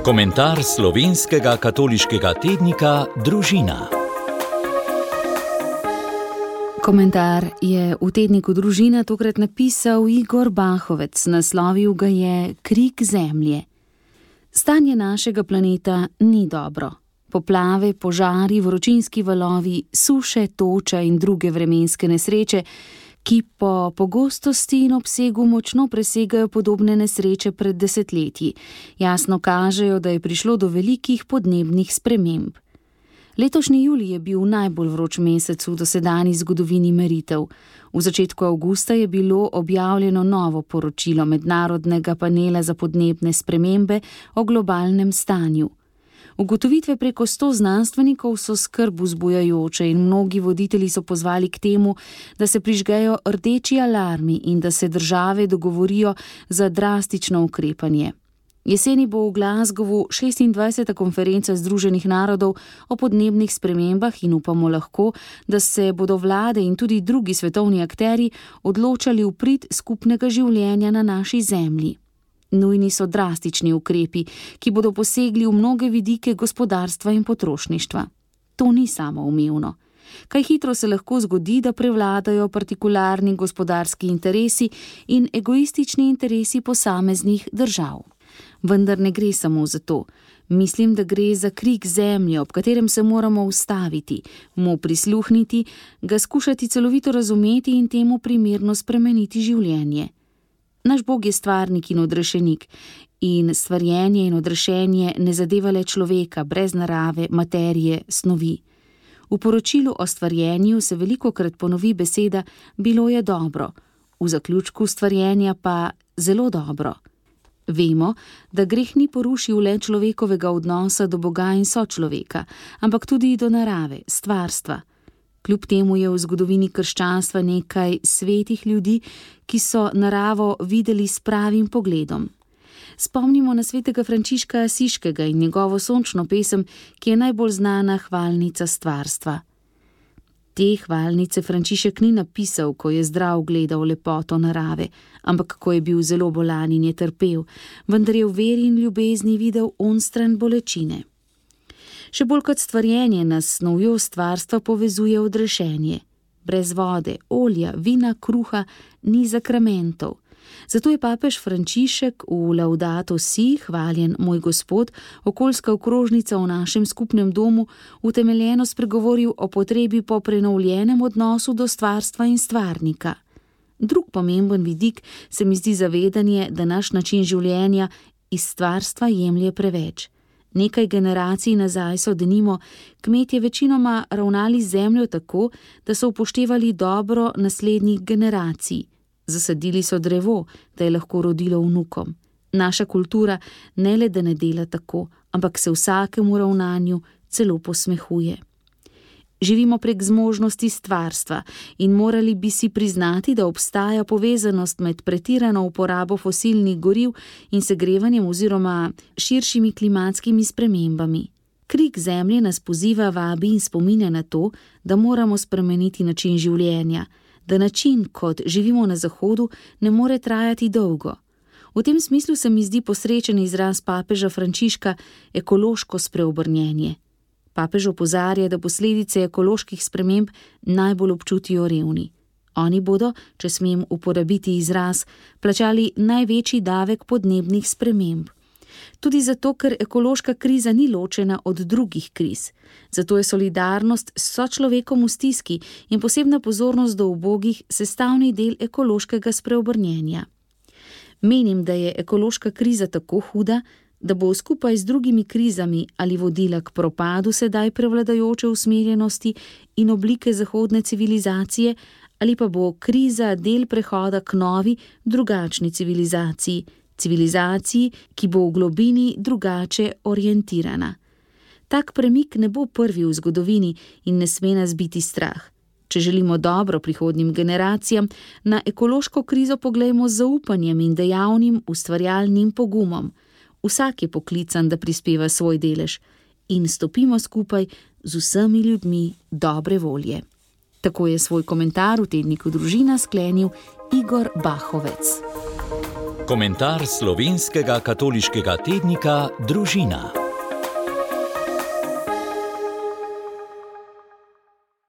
Komentar slovenskega katoliškega tednika Družina. Komentar je v tedniku Družina tokrat napisal Igor Bahovec, naslovil ga je Krik zemlje. Stanje našega planeta ni dobro. Poplave, požari, vročinski valovi, suše, toča in druge vremenske nesreče, ki po pogostosti in obsegu močno presegajo podobne nesreče pred desetletji, jasno kažejo, da je prišlo do velikih podnebnih sprememb. Letošnji julij je bil najbolj vroč mesec v dosedanji zgodovini meritev. V začetku avgusta je bilo objavljeno novo poročilo Mednarodnega panela za podnebne spremembe o globalnem stanju. Ugotovitve preko 100 znanstvenikov so skrb vzbujajoče in mnogi voditelji so pozvali k temu, da se prižgejo rdeči alarmi in da se države dogovorijo za drastično ukrepanje. Jeseni bo v Glasgowu 26. konferenca Združenih narodov o podnebnih spremembah in upamo lahko, da se bodo vlade in tudi drugi svetovni akterji odločali v prid skupnega življenja na naši zemlji. Nujni so drastični ukrepi, ki bodo posegli v mnoge vidike gospodarstva in potrošništva. To ni samoumevno. Kaj hitro se lahko zgodi, da prevladajo partikularni gospodarski interesi in egoistični interesi posameznih držav. Vendar ne gre samo za to. Mislim, da gre za krik zemlje, ob katerem se moramo ustaviti, mu prisluhniti, ga skušati celovito razumeti in temu primerno spremeniti življenje. Naš Bog je stvarnik in odrešenik in stvarjenje in odrešenje ne zadeva le človeka brez narave, materije, snovi. V poročilu o stvarjenju se velikokrat ponovi beseda bilo je dobro, v zaključku stvarjenja pa zelo dobro. Vemo, da greh ni porušil le človekovega odnosa do Boga in sočloveka, ampak tudi do narave, stvarstva. Kljub temu je v zgodovini krščanstva nekaj svetih ljudi, ki so naravo videli s pravim pogledom. Spomnimo na svetega Frančiška Asiškega in njegovo sončno pesem, ki je najbolj znana hvalnica stvarstva. Te hvalnice Frančišek ni napisal, ko je zdrav gledal lepoto narave, ampak ko je bil zelo bolan in je trpel, vendar je v veri in ljubezni videl onstran bolečine. Še bolj kot stvarjenje nas s snovjo stvarstva povezuje odrešenje. Brez vode, olja, vina, kruha ni zakramentov. Zato je papež Frančišek v Laudato Si, hvaljen moj Gospod, okoljska okrožnica v našem skupnem domu, utemeljeno spregovoril o potrebi po prenovljenem odnosu do stvarstva in stvarnika. Drug pomemben vidik se mi zdi zavedanje, da naš način življenja iz stvarstva jemlje preveč. Nekaj generacij nazaj so denimo kmetje večinoma ravnali z zemljo tako, da so upoštevali dobro naslednjih generacij. Zasadili so drevo, da je lahko rodilo vnukom. Naša kultura ne le da ne dela tako, ampak se vsakemu ravnanju celo posmehuje. Živimo prek zmožnosti stvarstva in morali bi si priznati, da obstaja povezanost med pretirano uporabo fosilnih goriv in segrevanjem oziroma širšimi klimatskimi spremembami. Krik zemlje nas poziva, vabi in spominja na to, da moramo spremeniti način življenja, da način, kot živimo na Zahodu, ne more trajati dolgo. V tem smislu se mi zdi posrečen izraz papeža Frančiška ekološko spreobrnjenje. Papež opozarja, da posledice ekoloških sprememb najbolj občutijo revni. Oni bodo, če smem uporabiti izraz, plačali največji davek podnebnih sprememb. Tudi zato, ker ekološka kriza ni ločena od drugih kriz. Zato je solidarnost s sočlovekom v stiski in posebna pozornost do ubogih sestavni del ekološkega spreobrnjenja. Menim, da je ekološka kriza tako huda, da bo skupaj z drugimi krizami ali vodila k propadu sedaj prevladajoče usmerjenosti in oblike zahodne civilizacije, ali pa bo kriza del prehoda k novi, drugačni civilizaciji, civilizaciji, ki bo v globini drugače orientirana. Tak premik ne bo prvi v zgodovini in ne sme nas biti strah. Če želimo dobro prihodnjim generacijam, na ekološko krizo poglejmo z zaupanjem in dejavnim ustvarjalnim pogumom. Vsak je poklican, da prispeva svoj delež in stopimo skupaj z vsemi ljudmi dobre volje. Tako je svoj komentar v tedniku Družina sklenil Igor Bahovec. Komentar slovenskega katoliškega tednika Družina.